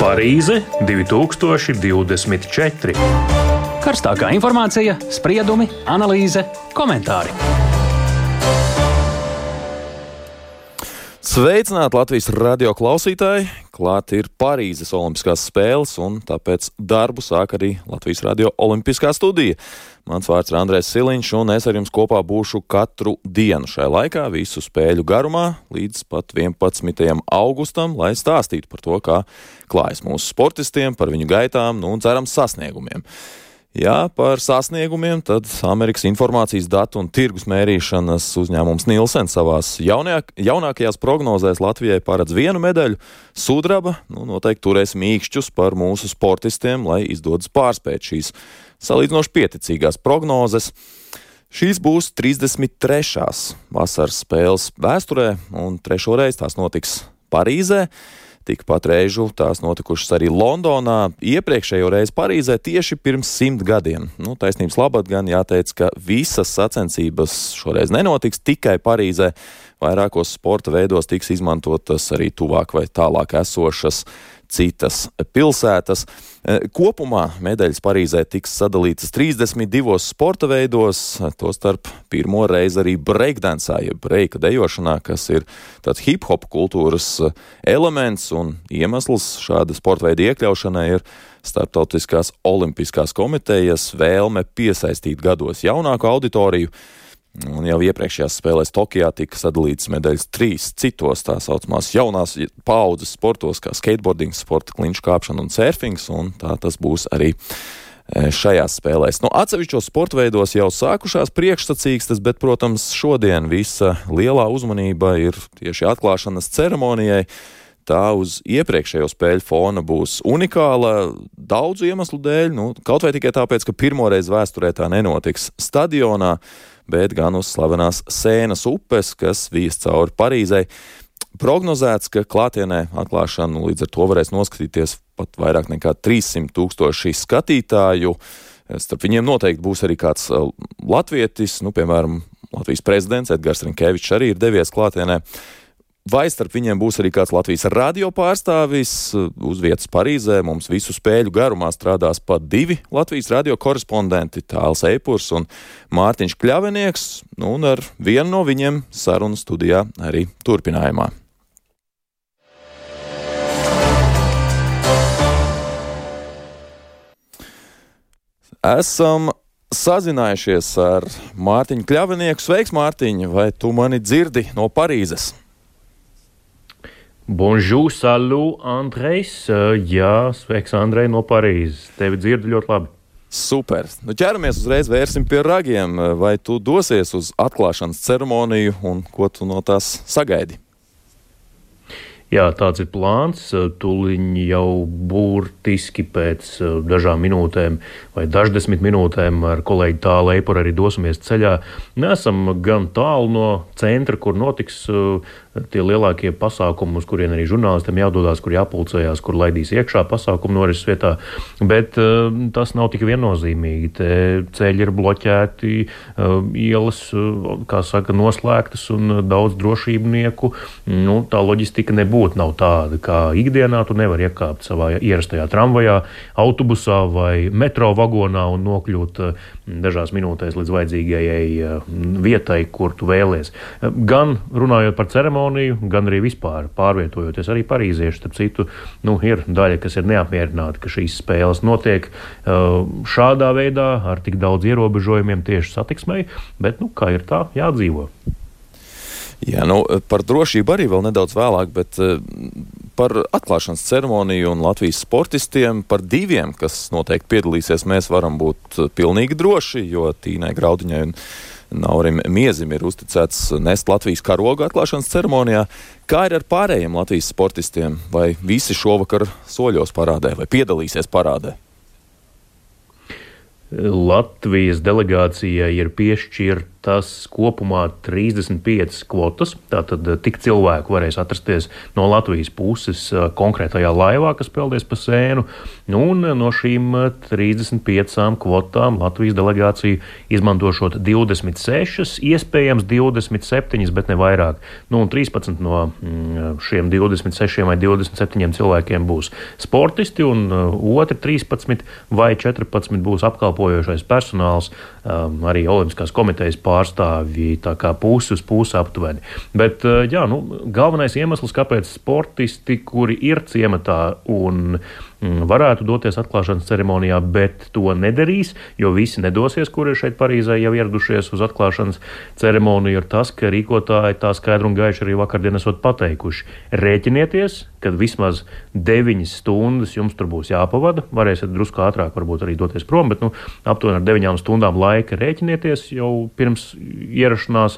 Parīze 2024. Karstākā informācija, spriedumi, analīze, komentāri. Sveicināti Latvijas radio klausītāji! Klāt ir Parīzes Olimpiskās spēles, un tāpēc darbu sāk arī Latvijas radio Olimpiskā studija. Mans vārds ir Andrēs Siliņš, un es ar jums kopā būšu katru dienu šajā laikā, visu spēļu garumā, līdz pat 11. augustam, lai stāstītu par to, kā klājas mūsu sportistiem, par viņu gaitām, un cerams sasniegumiem. Jā, par sasniegumiem tad Amerikas informācijas datu un tirgus mērīšanas uzņēmums Nielsen savās jaunākajās prognozēs Latvijai paredz 1 medaļu. Sudraba noteikti turēs mīkšķus par mūsu sportistiem, lai izdodas pārspēt šīs salīdzinoši pieticīgās prognozes. Šīs būs 33. vasaras spēles vēsturē, un 3. reizi tās notiks Parīzē. Tikpat reižu tās notikušas arī Londonā, iepriekšējo reizi Parīzē tieši pirms 100 gadiem. Taisnības labad gan jāteic, ka visas sacensības šoreiz nenotiks tikai Parīzē. Vairākos sporta veidos tiks izmantotas arī tuvāk vai tālāk esošas citas pilsētas. Kopumā medaļas Parīzē tiks sadalītas 32 sporta veidos, tostarp pirmo reizi arī breakdancā, jeb breika dejošanā, kas ir tāds hip-hop kultūras elements, un iemesls šāda sporta veida iekļaušanai ir Starptautiskās olimpiskās komitejas vēlme piesaistīt gados jaunāku auditoriju. Un jau iepriekšējās spēlēs Tokijā tika sadalītas medaļas 3 citos tā saucamās jaunās paaudzes sportos, kā skateboardings, sporta kliņšu kāpšana un surfings, un tā tas būs arī šajās spēlēs. Atsevišķos sporta veidos jau sākušās priekšsacīkstes, bet, protams, šodien visa lielā uzmanība ir tieši atklāšanas ceremonijai. Tā uz iepriekšējo spēļu fona būs unikāla daudzu iemeslu dēļ, kaut vai tikai tāpēc, ka pirmoreiz vēsturē tā nenotiks stadionā, bet gan uz slavenās Sēnas upes, kas vijas cauri Parīzei. Prognozēts, ka klātienē atklāšanu līdz ar to varēs noskatīties pat vairāk nekā 300,000 skatītāju. Starp viņiem noteikti būs arī kāds latvietis, piemēram, Latvijas prezidents Edgars Rinkevičs arī ir devies klātienē. Vai starp viņiem būs arī kāds Latvijas radio pārstāvis uz vietas Parīzē? Mums visu spēļu garumā strādās pat 2 Latvijas radio korespondenti, Tāls Eipurs un Mārtiņš Kļavinieks, un ar vienu no viņiem sarunu studijā arī turpinājumā. Esam sazinājušies ar Mārtiņu Kļavinieku. Sveiks, Mārtiņ, vai tu mani dzirdi no Parīzes? Bonjour, salut, Andrejs. Jā, sveiks, Andrej, no Parīzes. Tevi dzirdu ļoti labi. Super. Ķeramies uzreiz, vērsim pie ragiem. Vai tu dosies uz atklāšanas ceremoniju un ko tu no tās sagaidi? Jā, tāds ir plāns. Tuliņ jau burtiski pēc dažām minūtēm vai daždesmit minūtēm ar kolēģi Tālu Eipuru arī dosimies ceļā. Nesam gan tālu no centra, kur notiks tie lielākie pasākumi, uz kuriem arī žurnālistiem jādodās, kur jāpulcējās, kur laidīs iekšā pasākumu norises vietā. Bet tas nav tik viennozīmīgi. Te ceļi ir bloķēti, ielas, kā saka, noslēgtas un daudz drošībnieku. Tā loģistika nav tāda, kā ikdienā. Tu nevari iekāpt savā ierastajā tramvajā, autobusā vai metro vagonā un nokļūt dažās minūtēs līdz vajadzīgajai vietai, kur tu vēlies. Gan runājot par ceremoniju, gan arī vispār pārvietojoties arī parīzieši. Starp citu, ir daļa, kas ir neapmierināti, ka šīs spēles notiek šādā veidā ar tik daudz ierobežojumiem tieši satiksmei, bet, kā ir tā, jādzīvo. Jā, par drošību arī vēl nedaudz vēlāk, bet par atklāšanas ceremoniju un Latvijas sportistiem, par 2, kas noteikti piedalīsies, mēs varam būt pilnīgi droši, jo Tīnai Graudiņai un Naurim Miezim ir uzticēts nest Latvijas karogu atklāšanas ceremonijā. Kā ir ar pārējiem Latvijas sportistiem? Vai visi šovakar soļos parādē vai piedalīsies parādē? Latvijas delegācijai ir piešķirta tas kopumā 35 kvotas, tātad tik cilvēku varēs atrasties no Latvijas puses konkrētajā laivā, kas peldēs pa Sēnu, un no šīm 35 kvotām Latvijas delegācija izmantošot 26, iespējams 27, bet ne vairāk. Un 13 no šiem 26 vai 27 cilvēkiem būs sportisti, un otri 13 vai 14 būs apkalpojošais personāls, arī Olimpiskās komitejas pārstāvji, tā kā pusi uz pusi aptuveni. Bet, galvenais iemesls, kāpēc sportisti, kuri ir ciematā un varētu doties atklāšanas ceremonijā, bet to nedarīs, jo visi nedosies, kuri ir šeit Parīzē jau ieradušies uz atklāšanas ceremoniju, ir tas, ka rīkotāji tā skaidri un gaiši arī vakardien esot pateikuši. Rēķinieties, kad vismaz 9 stundas jums tur būs jāpavada, varēsiet drusku ātrāk varbūt arī doties prom, bet aptuveni ar 9 stundām laika rēķinieties jau pirms ierašanās.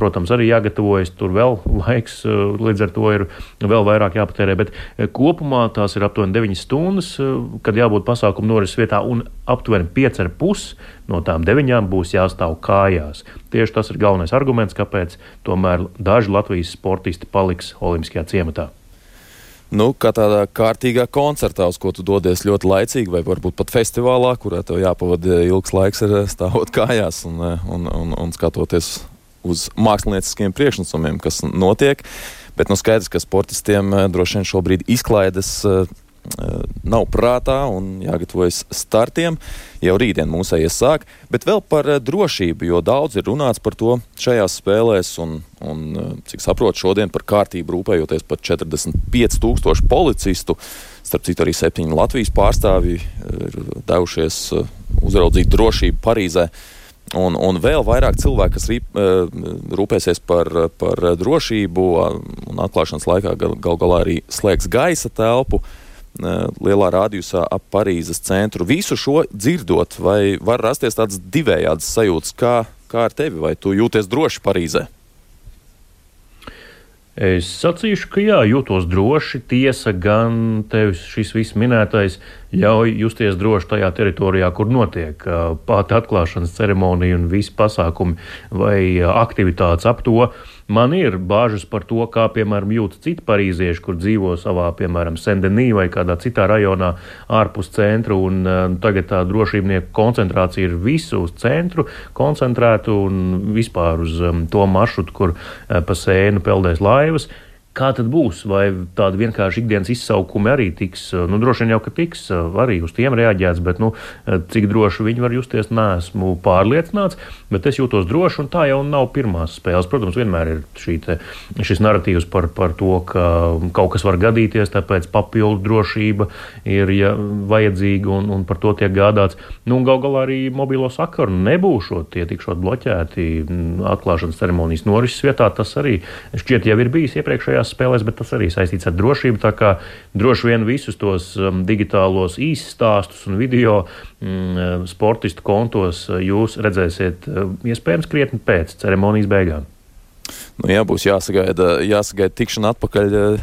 Protams, arī jāgatavojas, tur vēl laiks, līdz ar to ir vēl vairāk jāpatērē, bet kopumā tās ir aptuveni 9 stundas, kad jābūt pasākumu norises vietā, un aptuveni 5,5 no tām 9 būs jāstāv kājās. Tieši tas ir galvenais arguments, kāpēc tomēr daži Latvijas sportisti paliks Olimpiskajā ciematā. Kā tādā kārtīgā koncertā, uz ko tu dodies ļoti laicīgi, vai varbūt pat festivālā, kurā tev jāpavada ilgs laiks ar stāvot kājās un skatoties uz mākslinieciskiem priekšnesumiem, kas notiek. Bet skaidrs, ka sportistiem droši vien šobrīd izklaides nav prātā un jāgatavojas startiem. Jau rītdien mūsējies sāk, bet vēl par drošību, jo daudz ir runāts par to šajās spēlēs un cik saprotu, šodien par kārtību rūpējoties par 45,000 policistu. Starp citu arī 7 Latvijas pārstāvji ir devušies uzraudzīt drošību Parīzē. Un vēl vairāk cilvēku, kas rūpēsies par drošību un atklāšanas laikā gal galā arī slēgs gaisa telpu lielā rādījusā ap Parīzes centru. Visu šo dzirdot, vai var rasties tāds divējāds sajūtas, kā ar tevi, vai tu jūties droši Parīzē? Es sacīšu, ka jā, jūtos droši. Tiesa gan tevis šis viss minētais ļauj justies droši tajā teritorijā, kur notiek pati atklāšanas ceremonija un visi pasākumi vai aktivitātes ap to. Man ir bāžas par to, kā, piemēram, jūtas citi parīzieši, kur dzīvo savā, piemēram, Saint-Denis vai kādā citā rajonā ārpus centru, un tagad tā drošībnieku koncentrācija ir visu uz centru koncentrēta un vispār uz to maršrutu, kur pa Sēnu peldēs laivas. Kā tad būs? Vai tādi vienkārši ikdienas izsaukumi arī tiks? Droši vien jau, ka tiks arī uz tiem reaģēts, bet cik droši viņi var justies, neesmu pārliecināts, bet es jūtos droši, un tā jau nav pirmās spēles. Protams, vienmēr ir šis narratīvs par to, ka kaut kas var gadīties, tāpēc papildu drošība ir vajadzīga un par to tiek gādāts. Gal galā arī mobilo sakaru nebūšot, tie tikšot bloķēti atklāšanas ceremonijas norises vietā. Tas arī šķiet jau ir bijis iepriekšējās spēlēs, bet tas arī saistīts ar drošību, tā kā droši vien visus tos digitālos īsstāstus un video sportistu kontos jūs redzēsiet iespējams krietni pēc ceremonijas beigām. Būs jāsagaida tikšana atpakaļ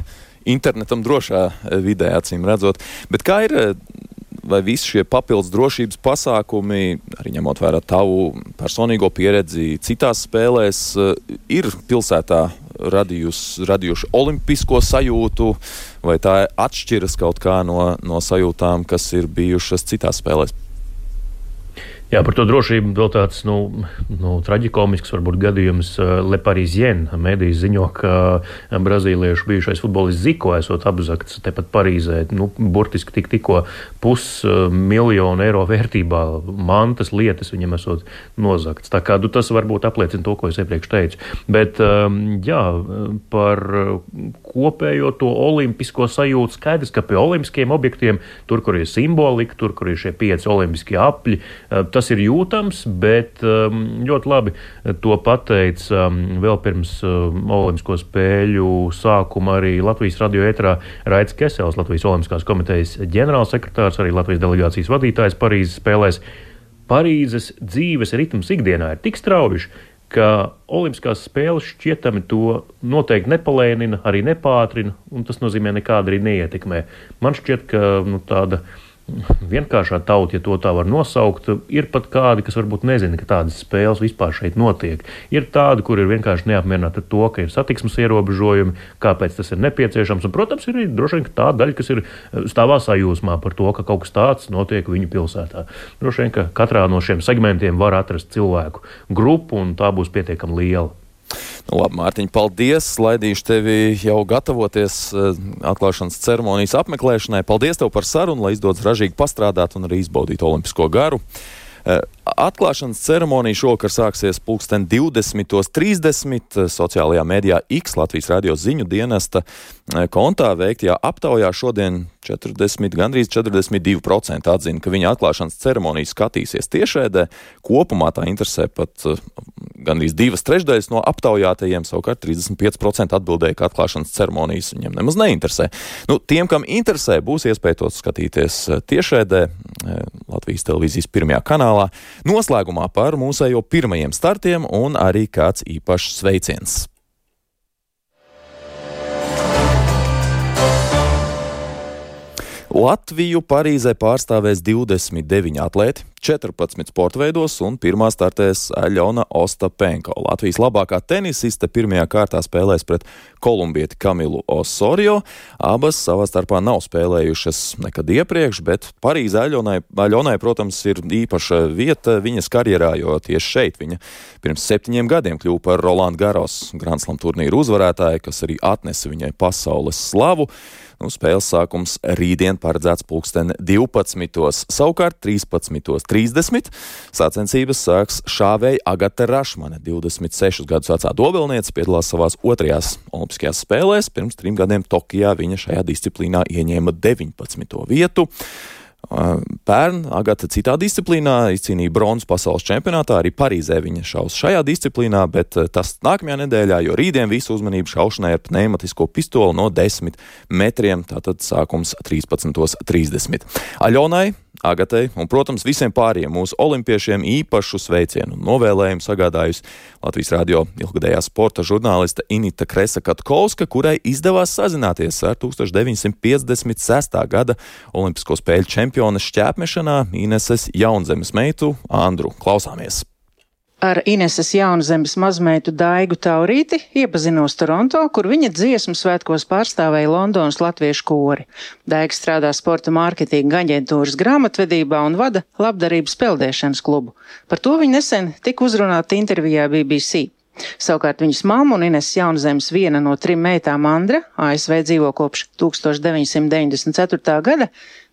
internetam drošā vidē, acīm redzot. Bet kā ir, vai visi šie papildus drošības pasākumi, arī ņemot vērā tavu personīgo pieredzi citās spēlēs, ir pilsētā radījuši olimpisko sajūtu, vai tā atšķiras kaut kā no sajūtām, kas ir bijušas citās spēlēs? Jā, par to drošību vēl tāds traģikomisks varbūt gadījums. Le Parisien mēdījis ziņo, ka brazīliešu bijušais futbolists Zico esot apzakts tepat Parīzē. Burtiski tikko 500,000 eiro vērtībā mantas lietas viņam esot nozakts. Tā kā tas varbūt apliecina to, ko es iepriekš teicu. Bet par kopējo to olimpisko sajūtu skaidrs, ka pie olimpiskiem objektiem, tur, kur ir simbolika, tur, kur ir šie 5 olimpiskie apļi, tas ir jūtams, bet ļoti labi to pateica vēl pirms Olimpisko spēļu sākuma arī Latvijas radio ēterā Raits Kesels, Latvijas Olimpiskās komitejas ģenerālsekretārs, arī Latvijas delegācijas vadītājs Parīzes spēlēs. Parīzes dzīves ritms ikdienā ir tik strauji, ka Olimpiskās spēles šķietami to noteikti nepalēnina, arī nepātrina, un tas nozīmē nekāda arī neietekmē. Man šķiet, ka tāda vienkāršā tauta, ja to tā var nosaukt. Ir pat kādi, kas varbūt nezina, ka tādas spēles vispār šeit notiek. Ir tādi, kur ir vienkārši neapmierināti ar to, ka ir satiksmes ierobežojumi, kāpēc tas ir nepieciešams. Un, protams, ir droši vien tā daļa, kas ir stāvā sajūsmā par to, ka kaut kas tāds notiek viņu pilsētā. Droši vien, ka katrā no šiem segmentiem var atrast cilvēku grupu, un tā būs pietiekami liela. Nu, labi, Mārtiņ, paldies. Laidīšu tevi jau gatavoties atklāšanas ceremonijas apmeklēšanai. Paldies tev par sarunu, lai izdodas ražīgi pastrādāt un arī izbaudīt olimpisko garu. Atklāšanas ceremonija šovakar sāksies 20:30 sociālajā mēdījā X Latvijas radio ziņu dienesta kontā veiktajā aptaujā šodien gandrīz 42% atzina, ka viņa atklāšanas ceremoniju skatīsies tiešraidē. Kopumā tā interesē pat gandrīz 2/3 no aptaujātajiem, savukārt 35% atbildēja, ka atklāšanas ceremonijas viņiem nemaz neinteresē. Nu, tiem, kam interesē, būs iespēja to skatīties tiešraidē Latvijas televīzijas pirmajā kanālā. Noslēgumā par mūsējo pirmajiem startiem un arī kāds īpašs sveiciens. Latviju Parīzē pārstāvēs 29 atlēti, 14 sporta veidos un pirmā startēs Aļona Ostapenko. Latvijas labākā tenisiste pirmajā kārtā spēlēs pret kolumbieti Kamilu Osorio. Abas savā starpā nav spēlējušas nekad iepriekš, bet Parīzē Aļonai, protams, ir īpaša vieta viņas karjerā, jo tieši šeit viņa pirms 7 gadiem kļuva par Roland Garros Grand Slam turnīru uzvarētāju, kas arī atnesa viņai pasaules slavu. Nu, spēles sākums rītdien paredzēts 12:00. Savukārt 13:30 sacensības sāks šāvēja Agata Rašmane, 26 gadus vecā dobelniece, piedalās savās otrajās olimpiskajās spēlēs. Pirms 3 gadiem Tokijā viņa šajā disciplīnā ieņēma 19. vietu. Pērn Agata citā disciplīnā izcīnīja bronzas pasaules čempionātā, arī Parīzē viņa šaus šajā disciplīnā, bet tas nākamajā nedēļā, jo rītdien visu uzmanību šaušanai ar pneimatisko pistoli no 10 metriem, tātad sākums 13:30. Aļonai, Agatai un, protams, visiem pārējiem mūsu olimpiešiem īpašu sveicienu un novēlējumu sagādājusi Latvijas radio ilgadējā sporta žurnāliste Inita Kresa-Katkovska, kurai izdevās sazināties ar 1956. gada Olimpisko spēļu čempiones šķēpmešanā Ineses Jaunzemes meitu Andru. Klausāmies! Ar Ineses Jaunzemes mazmeitu Daigu Taurīti iepazinos Toronto, kur viņa dziesmu svētkos pārstāvēja Londonas latviešu kori. Daiga strādā sporta mārketinga aģentūras grāmatvedībā un vada labdarības peldēšanas klubu. Par to viņa nesen tika uzrunāta intervijā BBC. Savukārt viņas mamma un Ineses Jaunzemes viena no 3 meitām Andra, ASV dzīvo kopš 1994. gada,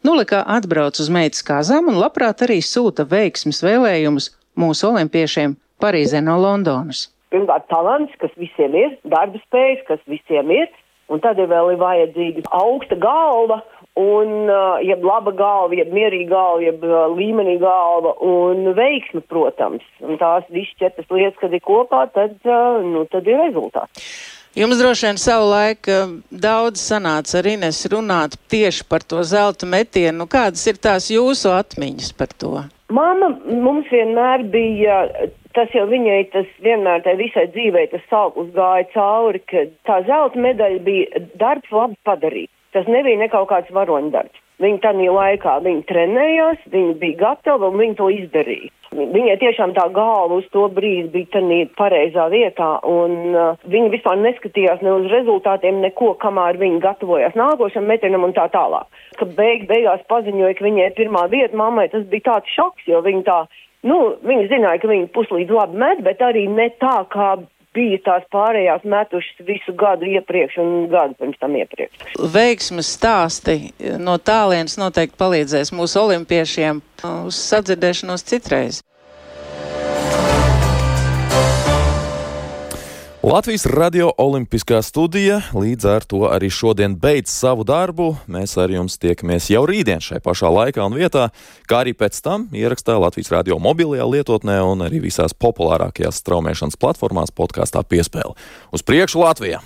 nulikā atbrauc uz meitas kāzām un labprāt arī sūta veiksmes vēlējumus mūsu olimpiešiem Parīzē no Londonas. Pirmkārt, talants, kas visiem ir, darba spējas, kas visiem ir, un tad vēl ir vajadzīga augsta galva, un jeb laba galva, jeb mierīga galva, jeb līmenī galva, un veiksme, protams. Un tās visas 4 lietas, kad ir kopā, tad ir rezultāts. Jums droši vien savu laiku daudz sanāca ar Inesu runāt tieši par to zelta metienu. Kādas ir tās jūsu atmiņas par to? Mamma mums vienmēr bija, tas jau viņai, tas vienmēr tai visai dzīvei, tas sauklis gāja cauri, ka tā zelta medaļa bija darbs labi padarīts. Tas nebija ne kaut kāds varoņdarbs. Viņa tādā laikā, viņa trenējās, viņa bija gatava un viņa to izdarīja. Viņai tiešām tā galva uz to brīdi bija tādā pareizā vietā, un viņa vispār neskatījās ne uz rezultātiem, neko, kamēr viņa gatavojās nākošam metienam un tā tālāk. Kad beigās paziņoja, ka viņai pirmā vieta mammai, tas bija tāds šoks, jo viņa viņa zināja, ka viņa puslīdz labi met, bet arī ne tā, kā bija tās pārējās metušas visu gadu iepriekš un gadu pirms tam iepriekš. Veiksmes stāsti no tālienes noteikti palīdzēs mūsu olimpiešiem uz sadzirdēšanos citreiz. Latvijas radio olimpiskā studija līdz ar to arī šodien beidz savu darbu. Mēs ar jums tiekamies jau rītdien šai pašā laikā un vietā, kā arī pēc tam ierakstā Latvijas radio mobilajā lietotnē un arī visās populārākajās straumēšanas platformās podkāstā Piespēle. Uz priekšu Latvijā!